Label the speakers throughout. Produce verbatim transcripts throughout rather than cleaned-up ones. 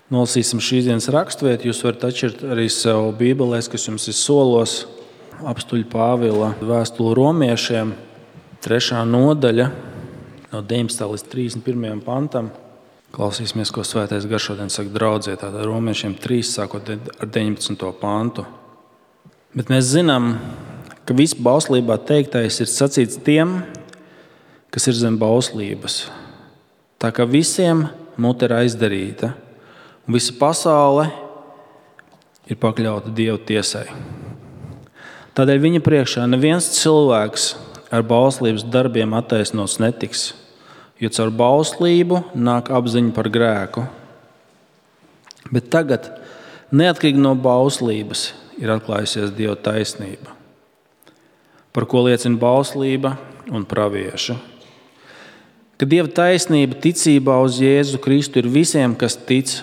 Speaker 1: Nolasīsim šīs dienas raksturvietu. Jūs varat atšķirt arī sev bībelēs, kas jums ir solos. Apstuļa Pāvila vēstule romiešiem, trešā nodaļa, no deviņpadsmitā līdz trīsdesmit pirmajam pantam. Klausīsimies, ko Svētais Gars šodien saka draudzē. Tātad romiešiem trīs, sākot ar deviņpadsmito pantu. Bet mēs zinām, ka viss bauslībā teiktais ir sacīts tiem, kas ir zem bauslības. Tā kā visiem mute ir aizdarīta, un visa pasaule ir pakļauta Dieva tiesai. Tādēļ viņa priekšā neviens cilvēks ar bauslības darbiem attaisnots netiks, jo caur bauslību nāk apziņa par grēku. Bet tagad, neatkarīgi no bauslības, ir atklājusies Dieva taisnība, par ko liecina bauslība un pravieši. Ka Dieva taisnība ticībā uz Jēzu Kristu ir visiem, kas tic,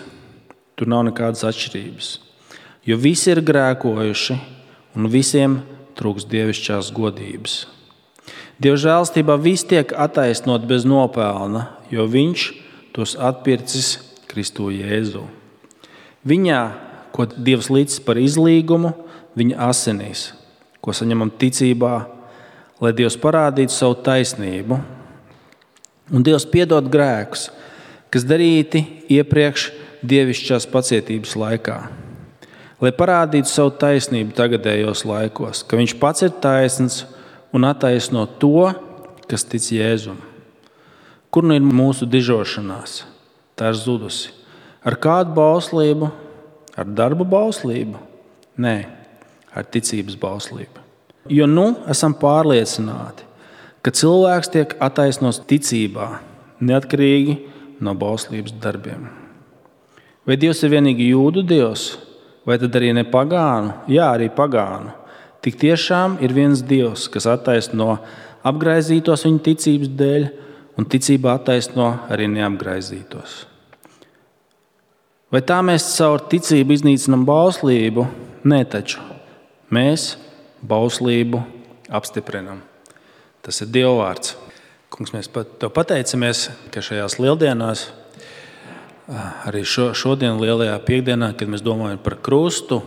Speaker 1: tur nav nekādas atšķirības, jo visi ir grēkojuši un visiem trūkst dievišķās godības. Dieva žēlstībā visi tiek attaisnot bez nopelna, jo viņš tos atpircis Kristu Jēzu. Viņā, ko Dievs līdz par izlīgumu, viņa asinīs, ko saņemam ticībā, lai Dievs parādītu savu taisnību. Un Dievs piedod grēkus, kas darīti iepriekš dievišķās pacietības laikā, lai parādītu savu taisnību tagadējos laikos, ka viņš pats ir taisns un attaisno to, kas tic Jēzum. Kur nu ir mūsu dižošanās? Tā ir zudusi. Ar kādu bauslību? Ar darbu bauslību? Nē, ar ticības bauslību. Jo nu esam pārliecināti, ka cilvēks tiek attaisnots ticībā, neatkarīgi no bauslības darbiem. Vai Dievs ir vienīgi jūdu Dievs, vai tad arī ne pagānu? Jā, arī pagānu. Tik tiešām ir viens Dievs, kas attaisno apgraizītos viņa ticības dēļ, un ticībā attaisno arī neapgraizītos. Vai tā mēs caur ticību iznīcinām bauslību? Nē, taču mēs bauslību apstiprinām. Tas ir Dieva vārds. Kungs, mēs tev pateicamies, ka šajās lieldienās, arī šo, šodien lielajā piekdienā, kad mēs domājam par krustu,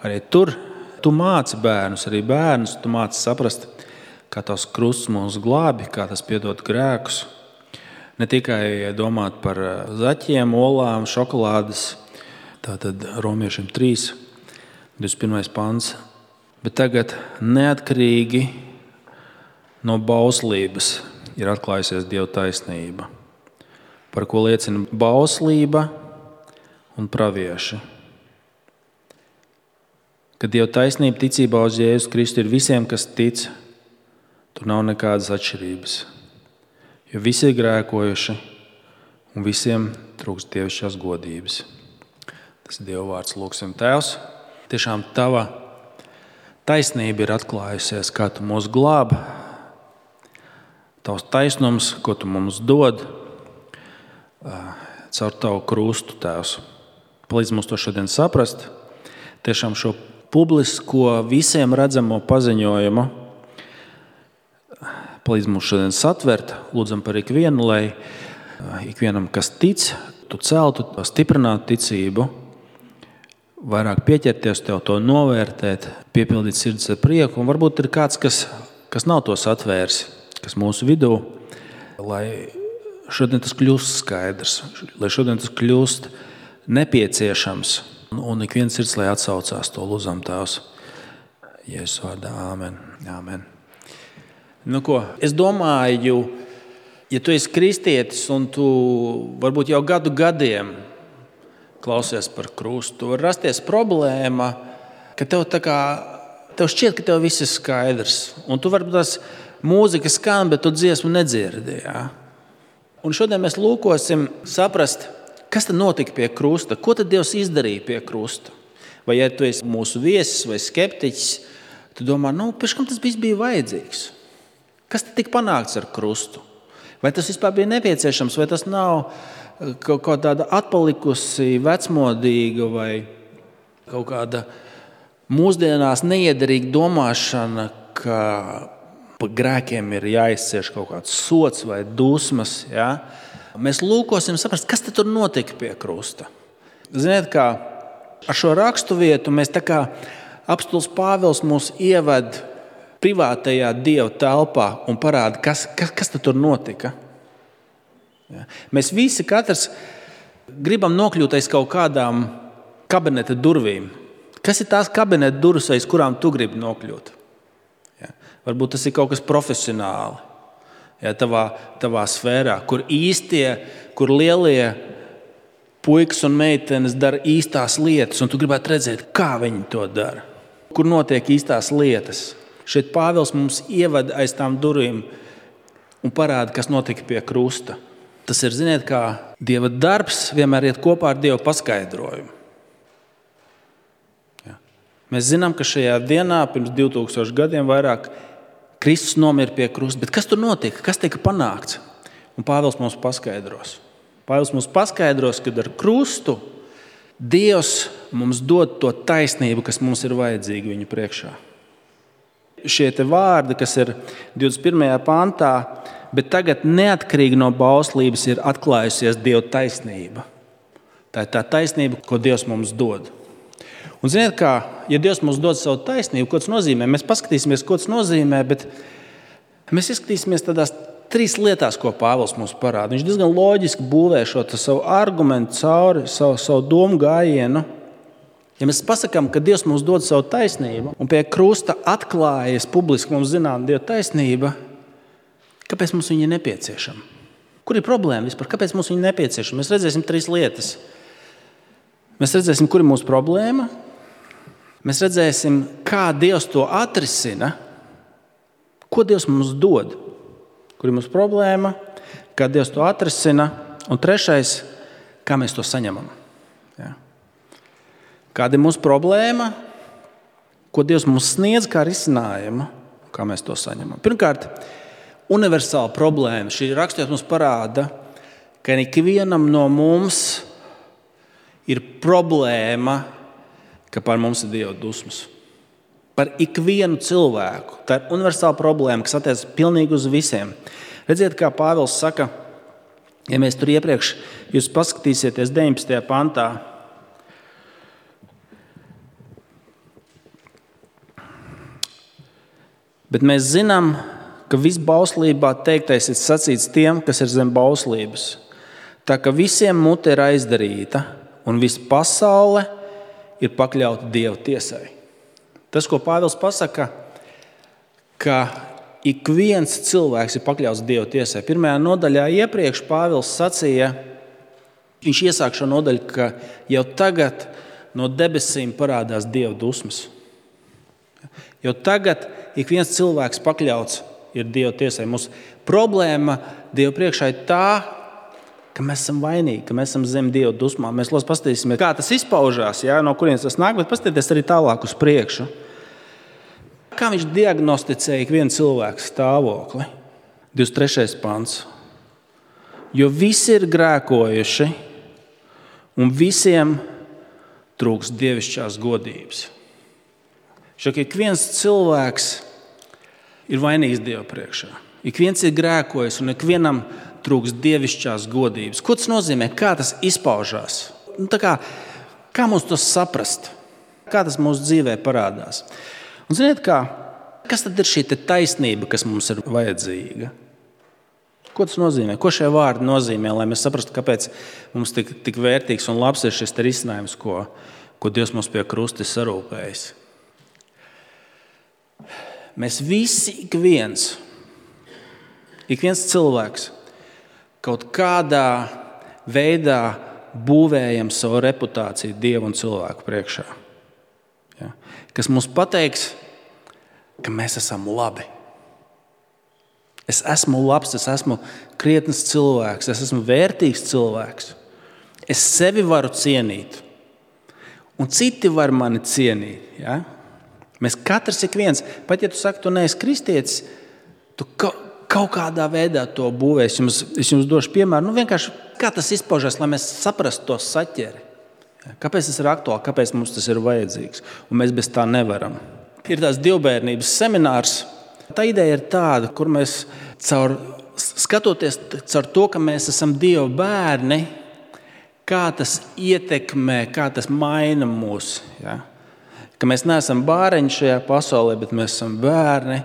Speaker 1: arī tur tu māci bērnus, arī bērnus, tu māci saprast, kā tavs krusts mūs glābi, kā tas piedod grēkus. Ne tikai domāt par zaķiem, olām, šokolādes, tātad romiešiem trīs, divdesmit pirmais pants, bet tagad neatkarīgi no bauslības ir atklājusies Dieva taisnība, par ko liecina bauslība un pravieši. Kad Dieva taisnība ticībā uz Jēzu Kristu ir visiem, kas tic, tur nav nekādas atšķirības, jo visi ir grēkojuši un visiem trūkst dievišķās godības. Tas ir Dieva vārds. Lūgsim, Tēvs, tiešām tava taisnība ir atklājusies, kā tu mūs glābi, tavs taisnums, ko tu mums dod, caur tavu krustu, Tēvs. Palīdz mums to šodien saprast, tiešām šo publisko visiem redzamo paziņojumu. Palīdz mums šodien satvert, lūdzam par ikvienu, lai ikvienam, kas tic, tu celtu, stiprinātu ticību, vairāk pieķerties tev, to novērtēt, piepildīt sirds ar prieku. Un varbūt ir kāds, kas, kas nav to satvērs, kas mūsu vidū, lai šodien tas kļūst skaidrs, lai šodien tas kļūst nepieciešams. Un ik viens sirds, lai atsaucās, to lūdzam, Tēvs. Jēzus vārdā, āmen. Āmen. Nu ko, es domāju, ja tu esi kristietis un tu varbūt jau gadu gadiem klausies par krustu, var rasties problēma, ka tev tā kā, tev šķiet, ka tev viss ir skaidrs. Un tu varbūt tās mūzika skan, bet tu dziesmu nedzirdi. Ja? Un šodien mēs lūkosim saprast, kas tad notika pie krusta? Ko tad Dievs izdarīja pie krusta? Vai ja tu esi mūsu viesis vai skeptiķis, tu domā, nu, pēc kam tas viss bija vajadzīgs? Kas tad tika panākts ar krustu? Vai tas vispār bija nepieciešams, vai tas nav kaut kā tāda atpalikusi, vecmodīga vai kaut kāda mūsdienās neiederīga domāšana, ka par grēkiem ir jāizcieš kaut kāds sods vai dusmas, ja? Mēs lūkosim saprast, kas tad tur notika pie krusta. Ziniet, kā ar šo raksturvietu mēs tā kā apostols Pāvils mūs ieved privātajā Dieva telpā un parāda, kas, kas, kas tad tur notika. Ja. Mēs visi katrs gribam nokļūt aiz kaut kādām kabineta durvīm. Kas ir tās kabineta durvis, aiz kurām tu gribi nokļūt? Ja. Varbūt tas ir kaut kas profesionāli, ja, tavā, tavā sfērā, kur īstie, kur lielie puikas un meitenes dara īstās lietas, un tu gribētu redzēt, kā viņi to dara, kur notiek īstās lietas. Šeit Pāvils mums ievada aiz tām durvīm un parāda, kas notika pie krusta. Tas ir, ziniet, kā Dieva darbs vienmēr iet kopā ar Dieva paskaidrojumu. Ja. Mēs zinām, ka šajā dienā, pirms divi tūkstoši gadiem vairāk, Kristus nomira pie krusta. Bet kas tur notika? Kas tika panākts? Un Pāvils mums paskaidros. Pāvils mums paskaidros, ka ar krustu Dievs mums dod to taisnību, kas mums ir vajadzīga viņa priekšā. Šie te vārdi, kas ir divdesmit pirmajā pantā, bet tagad neatkarīgi no bauslības ir atklājusies Dieva taisnība. Tā ir tā taisnība, ko Dievs mums dod. Un ziniet, kā, ja Dievs mums dod savu taisnību, ko tas nozīmē? Mēs paskatīsimies, ko tas nozīmē, bet mēs izskatīsimies tādās trīs lietās, ko Pāvils mums parāda. Viņš diezgan loģiski būvē šo savu argumentu cauri, savu, savu domu gājienu. Ja mēs pasakām, ka Dievs mums dod savu taisnību un pie krusta atklājas publiski mums zinām Dieva taisnība, kāpēc mums viņa ir nepieciešama? Kur ir problēma vispār? Kāpēc mums viņa ir nepieciešama? Mēs redzēsim trīs lietas. Mēs redzēsim, kur ir mūsu problēma. Mēs redzēsim, kā Dievs to atrisina. Ko Dievs mums dod? Kur ir mūsu problēma? Kā Dievs to atrisina? Un trešais, kā mēs to saņemam? Ja. Kāda ir mūsu problēma? Ko Dievs mums sniedz kā risinājumu? Kā mēs to saņemam? Pirmkārt, universāla problēma. Šī raksturvieta mums parāda, ka ikvienam no mums ir problēma, ka par mums ir Dieva dusmas. Par ikvienu cilvēku. Tā ir universāla problēma, kas attiecas pilnīgi uz visiem. Redziet, kā Pāvils saka, ja mēs tur iepriekš, jūs paskatīsieties deviņpadsmitajā pantā, bet mēs zinām, ka viss bauslībā teiktais ir sacīts tiem, kas ir zem bauslības. Tā ka visiem mute ir aizdarīta un visa pasaule ir pakļauta Dieva tiesai. Tas, ko Pāvils pasaka, ka ik viens cilvēks ir pakļauts Dieva tiesai. Pirmajā nodaļā iepriekš Pāvils sacīja, viņš iesāk šo nodaļu, ka jau tagad no debesīm parādās Dieva dusmas. Jo tagad ik viens cilvēks pakļauts ir Dieva tiesai. Mūsu problēma Dieva priekšā ir tā, ka mēs esam vainīgi, ka mēs esam zem Dieva dusmām. Mēs lūdzu paskatīsimies, kā tas izpaužās, ja, no kurienes tas nāk, bet paskatieties arī tālāk uz priekšu. Kā viņš diagnosticēja ikvienu cilvēku stāvokli? divdesmit trešais pants. Jo visi ir grēkojuši un visiem trūks dievišķās godības. Šo, ka ik viens cilvēks ir vainīgs Dieva priekšā. Ik viens ir grēkojis un ik vienam trūks dievišķās godības. Ko tas nozīmē? Kā tas izpaužās? Nu, tā kā, kā mums to saprast? Kā tas mūsu dzīvē parādās? Un ziniet kā, kas tad ir šī taisnība, kas mums ir vajadzīga? Ko tas nozīmē? Ko šie vārdi nozīmē, lai mēs saprastu, kāpēc mums tik, tik vērtīgs un labs ir šis risinājums, ko, ko Dievs mums pie krusta ir sarūpējis? Mēs visi, ik viens, ik viens cilvēks kaut kādā veidā būvējam savu reputāciju Dievu un cilvēku priekšā. Ja? Kas mums pateiks, ka mēs esam labi. Es esmu labs, es esmu krietns cilvēks, es esmu vērtīgs cilvēks. Es sevi varu cienīt, un citi var mani cienīt. Ja? Mēs katrs ik viens, pat ja tu saki, tu neesi kristietis, tu kaut, kaut kādā veidā to būvēs. Es jums, es jums došu piemēru, nu vienkārši kā tas izpaužas, lai mēs saprastu to saķeri. Kāpēc tas ir aktuāli, kāpēc mums tas ir vajadzīgs, un mēs bez tā nevaram. Ir tās divbērnības seminārs. Tā ideja ir tāda, kur mēs caur, skatoties caur to, ka mēs esam Dieva bērni, kā tas ietekmē, kā tas maina mūs. Ja? Ka mēs neesam bāreņi šajā pasaulē, bet mēs esam bērni.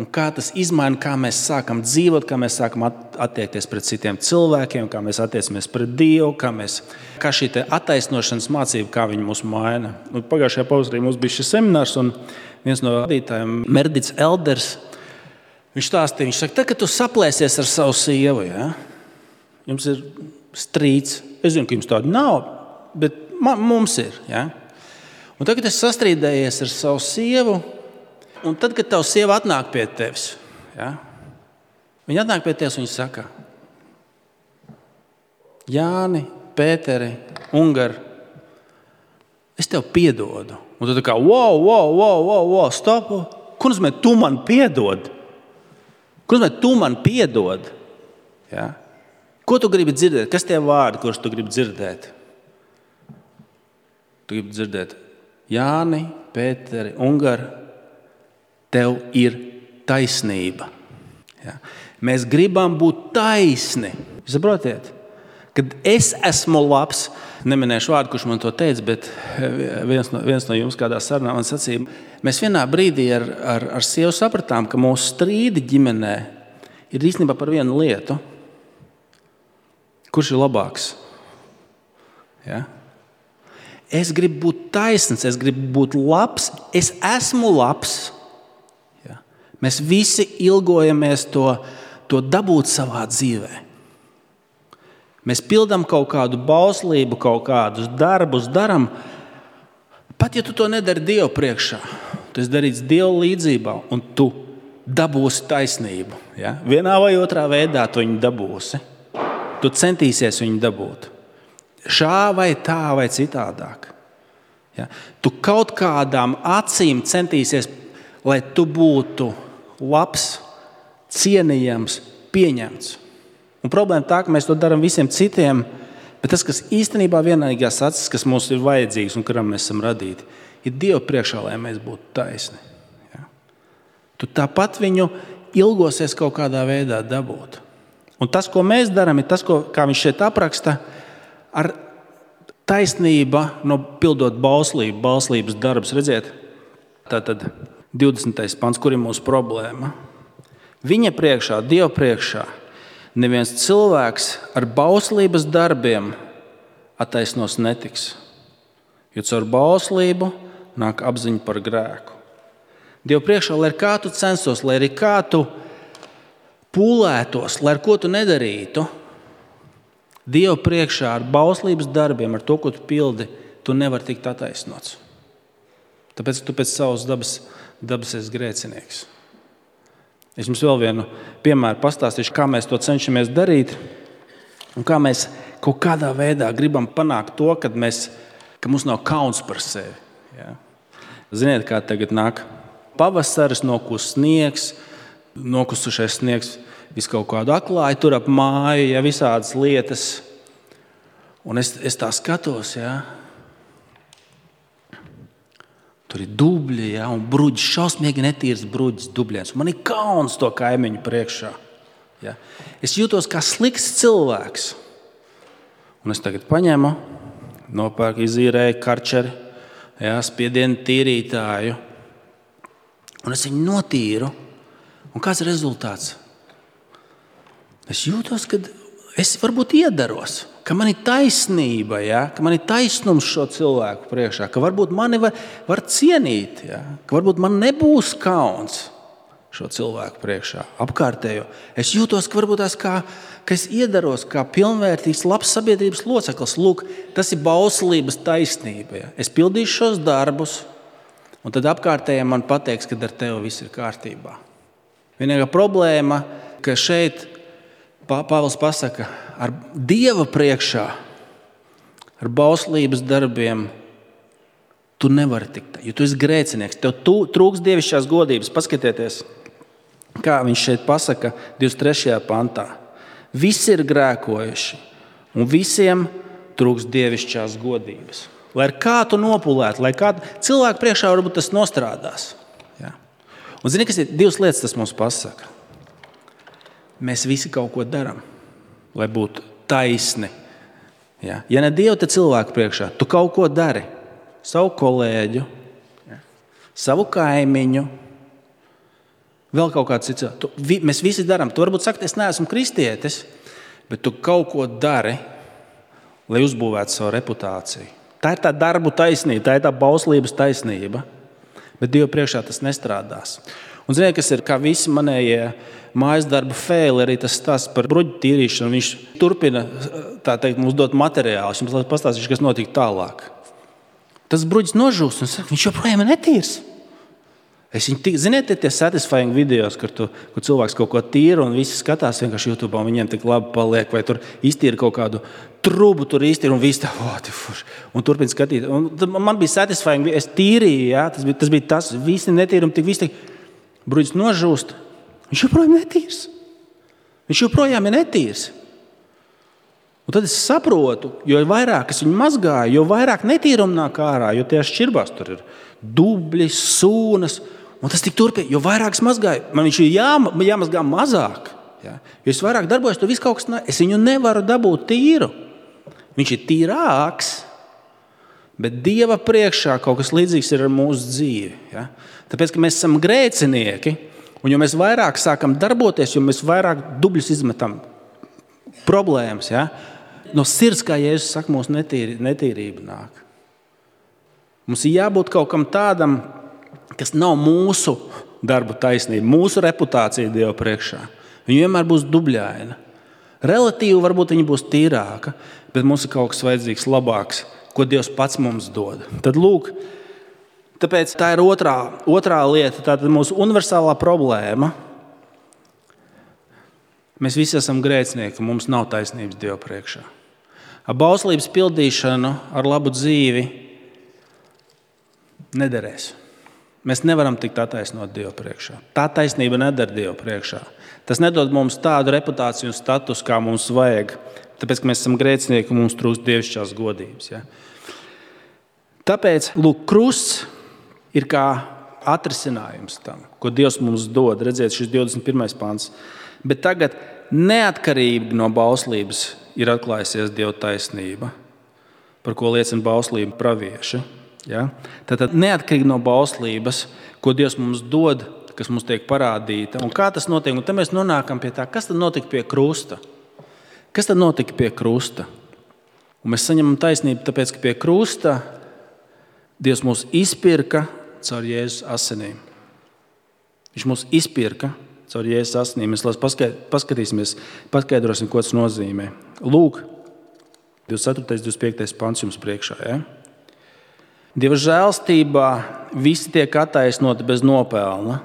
Speaker 1: Un kā tas izmaina, kā mēs sākam dzīvot, kā mēs sākam attiekties pret citiem cilvēkiem, kā mēs attiecamies pret Dievu, kā, mēs, kā šī attaisnošanas mācība, kā viņi mūs maina. Un pagājušajā pavasarī mums bija šis seminārs, un viens no vadītājiem, Merdits Elders, viņš stāstīja, viņš saka, tad, kad tu saplēsies ar savu sievu, ja? Jums ir strīds. Es zinu, ka jums tāda nav, bet man, mums ir. Ja? Un tad, kad es sastrīdējies ar savu sievu, un tad, kad tava sieva atnāk pie tevis, ja? Viņa atnāk pie tevis un viņa saka, Jāni, Pēteri, Ungari, es tev piedodu. Un tu tā kā, wow, wow, wow, wow, wow, stop. Ko nozīmē, tu man piedod? Ko nozīmē, tu man piedod? Ja? Ko tu gribi dzirdēt? Kas tie vārdi, kurus tu gribi dzirdēt? Tu gribi dzirdēt, Jāni, Pēteri, Ungari, tev ir taisnība. Ja? Mēs gribam būt taisni. Saprotiet? Kad es esmu labs, neminēšu vārdu, kurš man to teica, bet viens no, viens no jums kādā sarunā man sacīja, mēs vienā brīdī ar, ar, ar sievu sapratām, ka mūsu strīdi ģimenē ir īstenībā par vienu lietu. Kurš ir labāks? Ja? Es gribu būt taisns, es gribu būt labs, es esmu labs. Ja? Mēs visi ilgojamies to, to dabūt savā dzīvē. Mēs pildām kaut kādu bauslību, kaut kādus darbus daram, pat ja tu to nedari Dievu priekšā. Tas darīts Dievu līdzībā, un tu dabūsi taisnību. Ja? Vienā vai otrā veidā tu viņu dabūsi. Tu centīsies viņu dabūt. Šā vai tā vai citādāk. Ja? Tu kaut kādām acīm centīsies, lai tu būtu labs, cienījams, pieņemts. Un problēma tā, ka mēs to darām visiem citiem, bet tas, kas īstenībā vienīgās acis, kas mums ir vajadzīgs un kuram mēs esam radīti, ir Dievu priekšā, lai mēs būtu taisni. Ja? Tu tāpat viņu ilgosies kaut kādā veidā dabūt. Un tas, ko mēs darām, ir tas, ko, kā viņš šeit apraksta, ar taisnība, no pildot bauslību, bauslības darbus. Redziet, tātad divdesmitais pants, kur ir mūsu problēma. Viņa priekšā, Dieva priekšā, neviens cilvēks ar bauslības darbiem attaisnos netiks. Jo caur bauslību nāk apziņa par grēku. Dieva priekšā, lai kā tu censtos, lai arī kā tu pūlētos, lai ar ko tu nedarītu, Dievu priekšā ar bauslības darbiem, ar to, ko tu pildi, tu nevari tikt attaisnots. Tāpēc tu pēc savas dabas, dabas esi grēcinieks. Es jums vēl vienu piemēru pastāstīšu, kā mēs to cenšamies darīt un kā mēs kaut kādā veidā gribam panākt to, kad mēs, ka mums nav kauns par sevi. Ja? Ziniet, kā tagad nāk pavasaris, nokus sniegs, nokusušais sniegs, visu kaut kādu atklāju, tur ap māju, ja, visādas lietas. Un es, es tā skatos, ja. Tur ir dubļi, ja, un bruģis, šausmīgi netīrs bruģis, dubļiens. Man ir kauns to kaimiņu priekšā. Ja. Es jūtos kā slikts cilvēks. Un es tagad paņemu, nopērku, izīrēju karčeri, ja, spiedienu tīrītāju. Un es viņu notīru. Un kāds ir rezultāts? Es jūtos, ka es varbūt iedaros, ka man ir taisnība, ja? Ka man ir taisnums šo cilvēku priekšā, ka varbūt mani var, var cienīt, ja? Ka varbūt man nebūs kauns šo cilvēku priekšā, apkārtējo. Es jūtos, ka varbūt tās kā, ka es iedaros kā pilnvērtīgs, labs sabiedrības loceklis. Lūk, tas ir bauslības taisnība. Ja? Es pildīšu šos darbus, un tad apkārtējiem man pateiks, ka ar tevi viss ir kārtībā. Vienīgā problēma, ka šeit Pāvils pasaka, ar Dieva priekšā, ar bauslības darbiem, tu nevari tikt, jo tu esi grēcinieks. Tev trūks dievišķās godības. Paskatieties, kā viņš šeit pasaka divdesmit trešajā pantā. Visi ir grēkojuši, un visiem trūks dievišķās godības. Lai ar kā tu nopulētu, lai kā cilvēku priekšā varbūt tas nostrādās. Ja? Un zini, kas ir divas lietas, tas mums pasaka. Mēs visi kaut ko darām, lai būtu taisni. Ja, ja ne Dievu, tad cilvēku priekšā. Tu kaut ko dari. Savu kolēģu, ja. Savu kaimiņu, vēl kaut kāds cits. Tu, vi, mēs visi darām. Tu varbūt saki, es neesmu kristietis, bet tu kaut ko dari, lai uzbūvētu savu reputāciju. Tā ir tā darbu taisnība, tā ir tā bauslības taisnība. Bet Dievu priekšā tas nestrādās. Un ziniet, kas ir kā visi manējie mājas darba fēli, arī tas stāsts par bruģu tīrīšanu. Viņš turpina, tā teikt, mums dot materiālus. Jums pastāstīšu, kas notika tālāk. Tas bruģis nožūst un saka, viņš joprojām ir netīrs. Es viņu tik, ziniet, tie satisfying videos, kur, tu, kur cilvēks kaut ko tīra un visi skatās vienkārši YouTube un viņiem tik labi paliek, vai tur iztīra kaut kādu trubu, tur iztīra un visi tā, oh, tīfuši, un turpina skatīt. Un man bija satisfying, es tīrīju, jā, tas bija tas, bija tas visi netīrumi, tik visi tik, bruģis nožūst, viņš joprojām netīrs. Viņš joprojām ir netīrs. Un tad es saprotu, jo vairāk es viņu mazgāju, jo vairāk netīrumu nāk ārā, jo tie šķirbās tur ir dubļi, sūnas, un tas tik turpina, jo vairāk es mazgāju, man viņš ir jā, jāmazgā mazāk. Ja? Jo es vairāk darbojos, to viss kaut kas, ne, es viņu nevaru dabūt tīru. Viņš ir tīrāks, bet Dieva priekšā kaut kas līdzīgs ir ar mūsu dzīvi. Ja? Tāpēc, ka mēs esam grēcinieki, un jo mēs vairāk sākam darboties, jo mēs vairāk dubļus izmetam problēmas, ja? No sirds, kā Jēzus saka, mūsu netīri, netīrība nāk. Mums ir jābūt kaut kam tādam, kas nav mūsu darbu taisnība, mūsu reputācija Dieva priekšā. Viņa vienmēr būs dubļaina. Relatīvi varbūt viņa būs tīrāka, bet mums ir kaut kas vajadzīgs labāks, ko Dievs pats mums dod. Tad lūk, tāpēc tā ir otrā, otrā lieta, tā ir mūsu universālā problēma. Mēs visi esam grēcinieki, mums nav taisnības Dieva priekšā. Ar bauslības pildīšanu, ar labu dzīvi nederēs. Mēs nevaram tikt attaisnot Dievu priekšā. Tā taisnība nedara Dievu priekšā. Tas nedod mums tādu reputāciju un status, kā mums vajag, tāpēc, ka mēs esam grēcinieki un mums trūkst dievišķās godības. Ja? Tāpēc, lūk, krusts ir kā atrisinājums tam, ko Dievs mums dod. Redziet, šis divdesmit pirmais pants. Bet tagad neatkarīgi no bauslības ir atklājusies Dieva taisnība, par ko liecina bauslība pravieši. Ja? Tātad neatkarīgi no bauslības, ko Dievs mums dod, kas mums tiek parādīta. Un kā tas notiek? Un tad mēs nonākam pie tā, kas tad notika pie krusta? Kas tad notika pie krusta? Un mēs saņemam taisnību, tāpēc, ka pie krusta Dievs mūs izpirka caur Jēzus asinīm. Viņš mūs izpirka caur Jēzus asinīm. Mēs paskatīsimies, paskaidrosim, ko tas nozīmē. Lūk, divdesmit ceturtais, divdesmit piektais pants jums priekšā. Ja? Dieva žēlstībā visi tiek attaisnoti bez nopelna,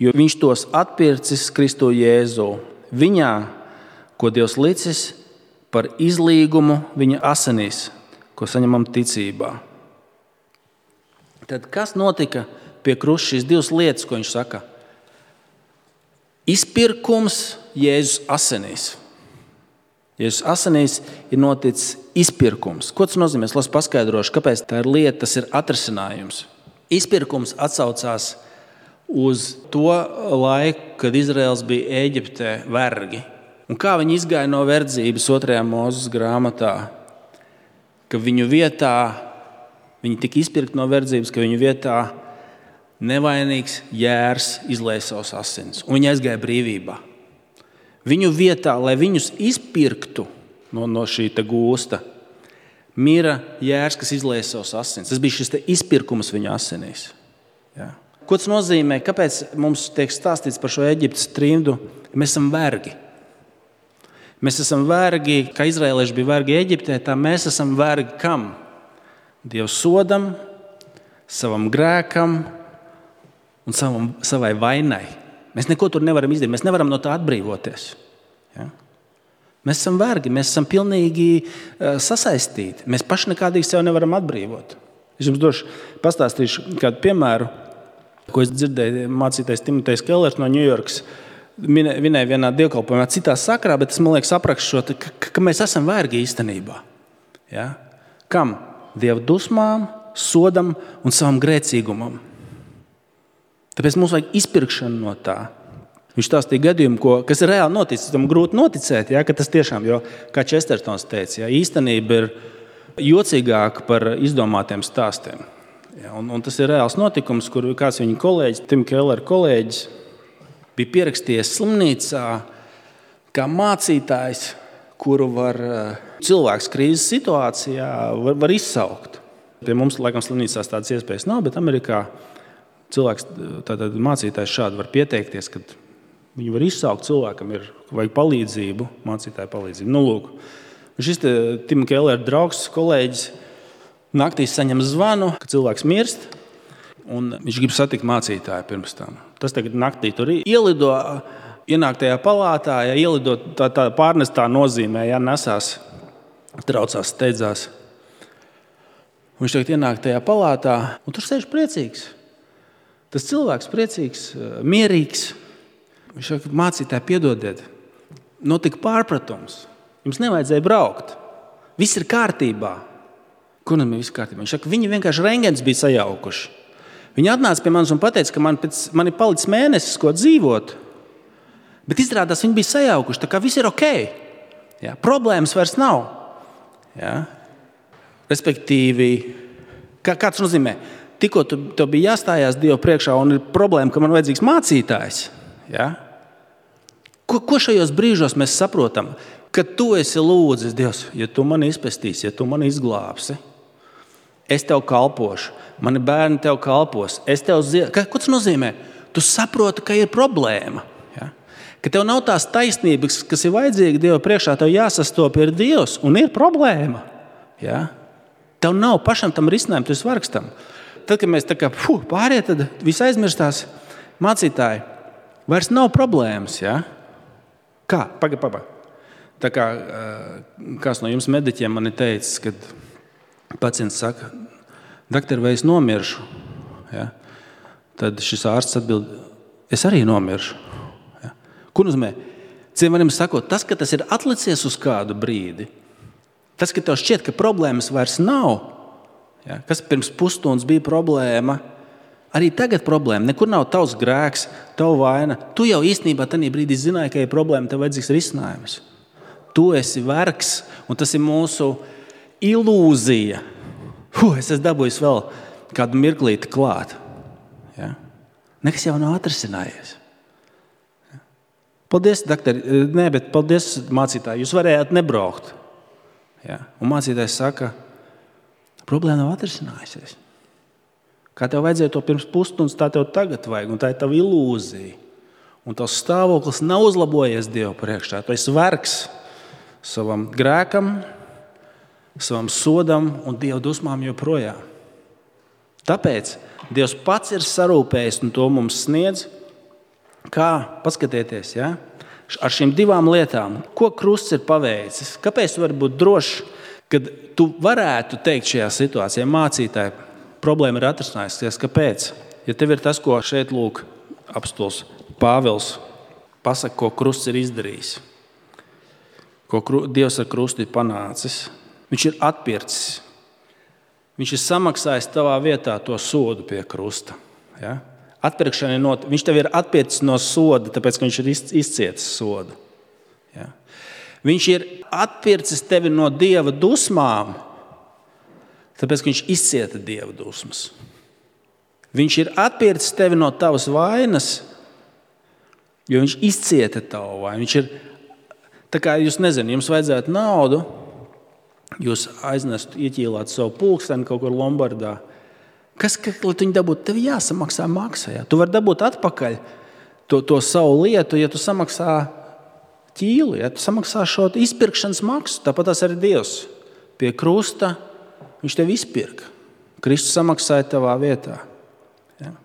Speaker 1: jo viņš tos atpircis Kristu Jēzu. Viņā, ko Dievs licis par izlīgumu viņa asinīs, ko saņemam ticībā. Tad kas notika pie krusta? Šīs divas lietas, ko viņš saka. Izpirkums Jēzus asinīs. Jēzus asinīs ir noticis izpirkums. Ko tas nozīmē? Es paskaidrošu, kāpēc tā ir lieta, tas ir atrisinājums. Izpirkums atsaucās uz to laiku, kad Izraels bija Ēģiptē vergi. Un kā viņi izgāja no verdzības otrajā Mūzes grāmatā, ka viņu vietā, viņi tika izpirkti no verdzības, ka viņu vietā nevainīgs jērs izlēja savus asins. Un viņi aizgāja brīvībā. Viņu vietā, lai viņus izpirktu no, no šī gūsta, mira jērs, kas izlēja savus asins. Tas bija šis izpirkums viņa asinīs. Ja. Ko tas nozīmē? Kāpēc mums tiek stāstīts par šo Eģiptes trimdu? Mēs esam vergi. Mēs esam vergi, kā izraēlieši bija vergi Eģiptē, tā mēs esam vergi kam? Dievu sodam, savam grēkam un savam, savai vainai. Mēs neko tur nevaram izdarīt, mēs nevaram no tā atbrīvoties. Ja? Mēs esam vergi, mēs esam pilnīgi uh, sasaistīti. Mēs paši nekādīgi sev nevaram atbrīvot. Es jums došu, pastāstīšu kādu piemēru, ko es dzirdēju mācītais Timotejs Kellers no Ņujorkas. Vinēja vienā dievkalpojumā citā sakrā, bet es, man liekas, aprakstu šo, ka, ka mēs esam vergi īstenībā. Ja? Kam? Dieva dusmām, sodam un savam grēcīgumam. Tāpēc mums vajag izpirkšanu no tā. Viņš stāstīja gadījumu, ko, kas ir reāli noticis. Tam grūti noticēt, ja, ka tas tiešām, jo, kā Čestertons teica, ja, īstenība ir jocīgāka par izdomātiem stāstiem. Ja, un, un tas ir reāls notikums, kur kāds viņa kolēģis, Tim Keller kolēģis, bija pierakstījies slimnīcā kā mācītājs, kuru var cilvēks krīzes situācijā var, var izsaukt. Pie mums, laikam, slimnīcās tādas iespējas nav, bet Amerikā cilvēks, tātad mācītājs šādi var pieteikties, kad viņi var izsaukt cilvēkam, ir vajag palīdzību, mācītāju palīdzību. Nu, lūk, šis te Tim Keller draugs, kolēģis, naktī saņem zvanu, ka cilvēks mirst, un viņš grib satikt mācītāju pirms tam. Tas tagad naktī tur ielido, ienāk tajā palātā, ja ielido tā, tā pārnestā nozīmē, ja nesās, traucās, steidzās. Viņš tagad ienāk tajā palātā, un tur sēž priecīgs. Tas cilvēks priecīgs, mierīgs. Viņš saka, mācītāji, piedodiet, notika pārpratums. Jums nevajadzēja braukt. Viss ir kārtībā. Kur man viss kārtībā? Viņš saka, viņi vienkārši rengens bija sajaukuši. Viņi atnāca pie manis un pateica, ka man, pēc, man ir palicis mēnesis, ko dzīvot. Bet izrādās, viņi bija sajaukuši, tā kā viss ir ok. Ja? Problēmas vairs nav. Ja? Respektīvi, kā, kāds nozīmē? Tikko tu, tu bija jāstājās Dievu priekšā un ir problēma, ka man vajadzīgs mācītājs. Ja? Ko, ko šajos brīžos mēs saprotam? Kad tu esi lūdzis, Dievs, ja tu mani izpestīsi, ja tu mani izglābsi, es tev kalpošu, mani bērni tev kalpos, es tev zie... Ko tas nozīmē? Tu saproti, ka ir problēma. Ja? Ka tev nav tās taisnības, kas ir vajadzīga Dieva priekšā, tev jāsastop ir Dievs un ir problēma. Ja? Tev nav pašam tam risinājumu, tu esi vargstam. Tad, kad mēs tā kā fuh, pāriet, tad viss aizmirstās mācītāji. Vairs nav problēmas, ja? Kā? Paga, paga. Tā kā kāds no jums mediķiem man ir teicis, kad pacients saka, doktor, vai es nomiršu? Ja? Tad šis ārsts atbild, es arī nomiršu. Ja? Ko nozīmē? Ciem varam sakot, tas, ka tas ir atlicies uz kādu brīdi, tas, ka tev šķiet, ka problēmas vairs nav, ja? Kas pirms pusstundas bija problēma, arī tagad problēma. Nekur nav tavs grēks, tava vaina. Tu jau īstenībā tajā brīdī zināji, ka ir problēma, tev vajadzīgs risinājums. Tu esi vergs, un tas ir mūsu ilūzija. Huh, es esmu dabūjis vēl kādu mirklīti klāt. Ja? Nekas jau nav atrisinājies. Ja? Paldies, doktori. Nē, bet paldies, mācītāji. Jūs varējāt nebraukt. Ja? Un mācītājs saka, problēma nav atrisinājusies. Kā tev vajadzēja to pirms pusstundas, tā tev tagad vajag, un tā ir tava ilūzija. Un tavs stāvoklis nav uzlabojies Dievu priekšā. Tu esi vergs savam grēkam, savam sodam un Dieva dusmām joprojām. Tāpēc Dievs pats ir sarūpējis un to mums sniedz. Kā? Paskatieties, ja? Ar šīm divām lietām. Ko krusts ir paveicis? Kāpēc tu vari būt drošs, kad tu varētu teikt šajā situācijā mācītāji, problēma ir atrisinājusies. Kāpēc? Ja tev ir tas, ko šeit lūk apostols Pāvils pasaka, ko krusts ir izdarījis, ko Dievs ar krustu ir panācis, viņš ir atpircis. Viņš ir samaksājis tavā vietā to sodu pie krusta. Ja? Atpirkšana ir not... Viņš tev ir atpircis no soda, tāpēc, ka viņš ir izcietis sodu. Ja? Viņš ir atpircis tevi no Dieva dusmām, tāpēc, ka viņš izcieta Dieva dusmas. Viņš ir atpircis tevi no tavas vainas, jo viņš izcieta tavu vainu. Viņš ir, tā kā jūs nezināt, jums vajadzētu naudu, jūs aiznestu, ieķīlāt savu pulksteni kaut kur Lombardā. Kas, ka, lai tu viņu dabūtu, tev jāsamaksā maksa. Ja? Tu vari dabūt atpakaļ to, to savu lietu, ja tu samaksā ķīlu, ja tu samaksā šo izpirkšanas maksu. Tāpat tas arī Dievs pie krusta. Viņš tevi izpirka. Kristus samaksāja tavā vietā. Ja?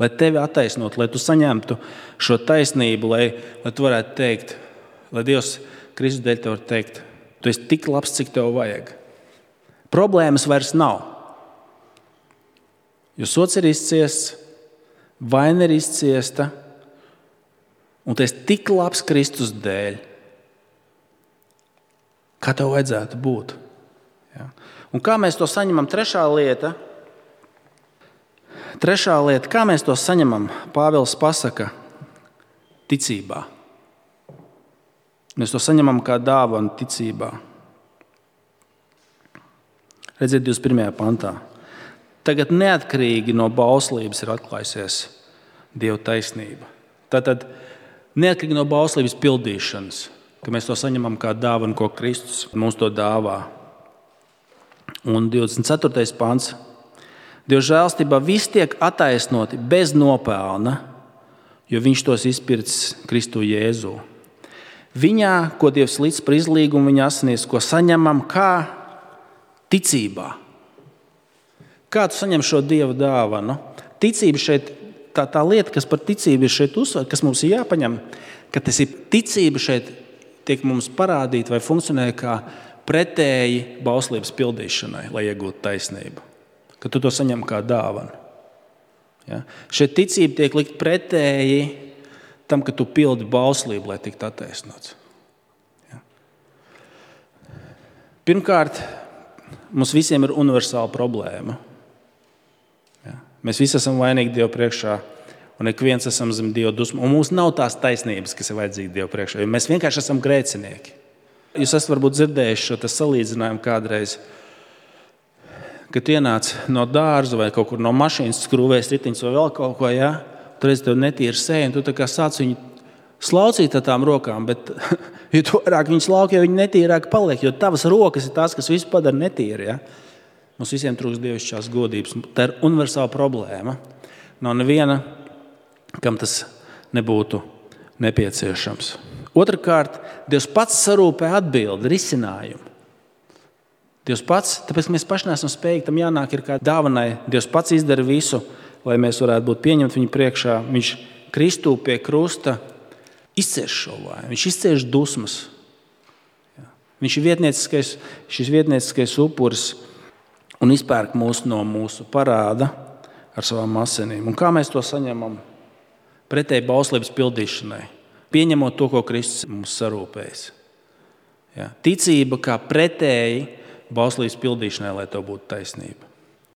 Speaker 1: Lai tevi attaisnot, lai tu saņemtu šo taisnību, lai, lai tu varētu teikt, lai Dievs Kristus dēļ tev var teikt, tu esi tik labs, cik tev vajag. Problēmas vairs nav. Jo sots ir izciests, vaina ir izciesta, un tu esi tik labs Kristus dēļ, kā tev vajadzētu būt. Ja? Un kā mēs to saņemam? Trešā lieta, trešā lieta, kā mēs to saņemam? Pāvils pasaka, ticībā. Mēs to saņemam kā dāvanu ticībā. Redziet, divdesmit pirmajā pantā. Tagad neatkarīgi no bauslības ir atklājusies Dieva taisnība. Tātad neatkarīgi no bauslības pildīšanas, ka mēs to saņemam kā dāvanu, ko Kristus mums to dāvā. Un divdesmit ceturtais pants. Dieva žēlstībā viss tiek attaisnoti bez nopelna, jo viņš tos izpircis Kristu Jēzū. Viņā, ko Dievs līdz par izlīgumu viņa asinīs, ko saņemam kā ticībā. Kā tu saņem šo Dieva dāvanu? Ticība šeit, tā, tā lieta, kas par ticību ir šeit uzsver, kas mums ir jāpaņem, ka tas ir ticība šeit tiek mums parādīta vai funkcionē kā pretēji bauslības pildīšanai, lai iegūtu taisnību. Ka tu to saņem kā dāvanu. Ja? Šeit ticība tiek likt pretēji tam, ka tu pildi bauslību, lai tiktu attaisnots. Ja? Pirmkārt, mums visiem ir universāla problēma. Ja? Mēs visi esam vainīgi Dievu priekšā, un ik viens esam zem Dieva dusmu. Un mums nav tās taisnības, kas ir vajadzīga Dievu priekšā, jo mēs vienkārši esam grēcinieki. Jūs esat varbūt dzirdējuši šo salīdzinājumu kādreiz, kad tu ienāc no dārza vai kaut kur no mašīnas, skrūvēs ritiņus vai vēl kaut ko, ja? Tur redz tev netīra seja, un tu tā kā sāc viņu slaucīt ar tām rokām, bet jo tu vairāk viņu slauki, jo viņi netīrāk paliek, jo tavas rokas ir tās, kas visu padara netīri. Ja? Mums visiem trūkst dievišķās godības. Tā ir universāla problēma. Nav neviena, kam tas nebūtu nepieciešams. Otrakārt, Dievs pats sarūpē atbildi, risinājumu. Dievs pats, tāpēc mēs paši neesam spējīgi, tam jānāk ir kā dāvanai. Dievs pats izdara visu, lai mēs varētu būt pieņemti viņu priekšā. Viņš Kristū pie krusta izcieš šo vāju. Viņš izcieš dusmas. Viņš ir vietnieciskais, šis vietnieciskais upuris un izpērk mūs no mūsu parāda ar savām asinīm. Un kā mēs to saņemam? Pretēji bauslības pildīšanai. Pieņemot to, ko Kristus mums sarūpējis. Ja? Ticība kā pretēji bauslības pildīšanai, lai tev būtu taisnība.